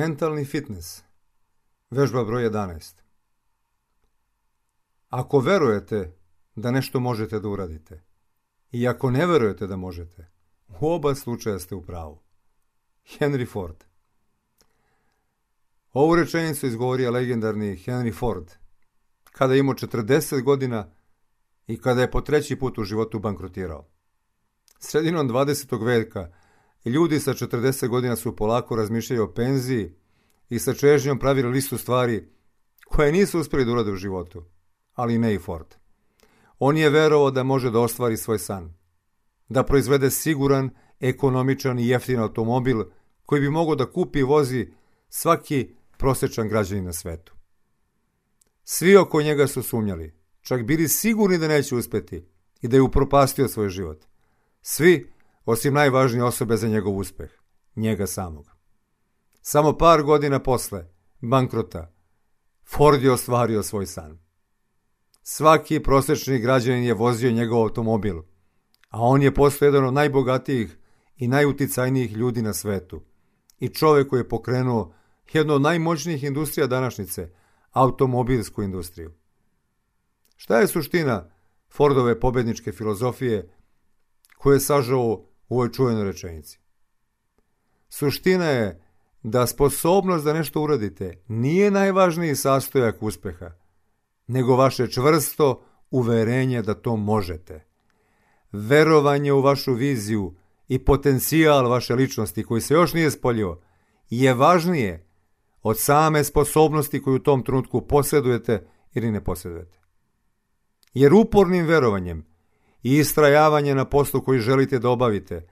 Mentalni fitness. Vežba broj 11. Ako verujete da nešto možete da uradite i ako ne verujete da možete, u oba slučaja ste u pravu. Henry Ford. Ovu rečenicu izgovorio legendarni Henry Ford kada je imao 40 godina i kada je po 3. put u životu bankrotirao. Sredinom 20. veka ljudi sa 40 godina su polako razmišljali o penziji i sa čežnjom pravili listu stvari koje nisu uspjeli da urade u životu, ali ne i Ford. On je verovao da može da ostvari svoj san, da proizvede siguran, ekonomičan i jeftin automobil koji bi mogao da kupi i vozi svaki prosječan građanin na svetu. Svi oko njega su sumnjali, čak bili sigurni da neće uspjeti i da je upropastio svoj život. Svi, osim najvažnije osobe za njegov uspeh, njega samog. Samo par godina posle bankrota, Ford je ostvario svoj san. Svaki prosječni građanin je vozio njegov automobil, a on je postao jedan od najbogatijih i najuticajnijih ljudi na svetu. I čovjek koji je pokrenuo jednu od najmoćnijih industrija današnjice, automobilsku industriju. Šta je suština Fordove pobedničke filozofije koju je sažao u ovoj čuvenoj rečenici? Suština je da sposobnost da nešto uradite nije najvažniji sastojak uspeha, nego vaše čvrsto uverenje da to možete. Verovanje u vašu viziju i potencijal vaše ličnosti koji se još nije spoljio je važnije od same sposobnosti koju u tom trenutku posjedujete ili ne posjedujete. Jer upornim verovanjem i istrajavanje na poslu koji želite da obavite,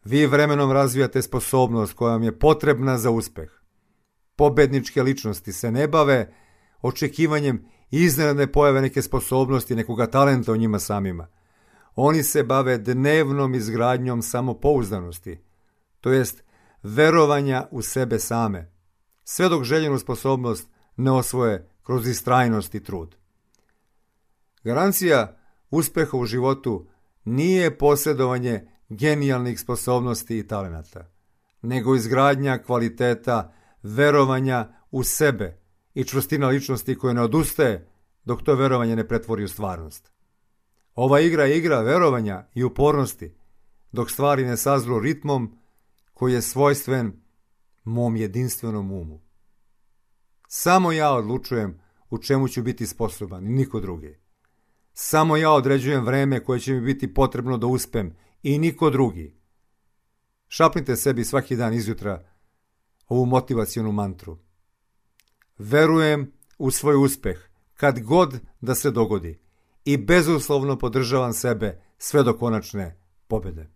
vi vremenom razvijate sposobnost koja vam je potrebna za uspeh. Pobedničke ličnosti se ne bave očekivanjem iznenadne pojave neke sposobnosti, nekoga talenta u njima samima. Oni se bave dnevnom izgradnjom samopouzdanosti, to jest verovanja u sebe same, sve dok željenu sposobnost ne osvoje kroz istrajnost i trud. Garancija uspeha u životu nije posjedovanje genijalnih sposobnosti i talenata, nego izgradnja kvaliteta, verovanja u sebe i čvrstina ličnosti koja ne odustaje dok to verovanje ne pretvori u stvarnost. Ova igra je igra verovanja i upornosti, dok stvari ne sazru ritmom koji je svojstven mom jedinstvenom umu. Samo ja odlučujem u čemu ću biti sposoban i niko drugi. Samo ja određujem vreme koje će mi biti potrebno da uspem i niko drugi. Šapnite sebi svaki dan izjutra ovu motivacionu mantru. Verujem u svoj uspeh kad god da se dogodi i bezuslovno podržavam sebe sve do konačne pobjede.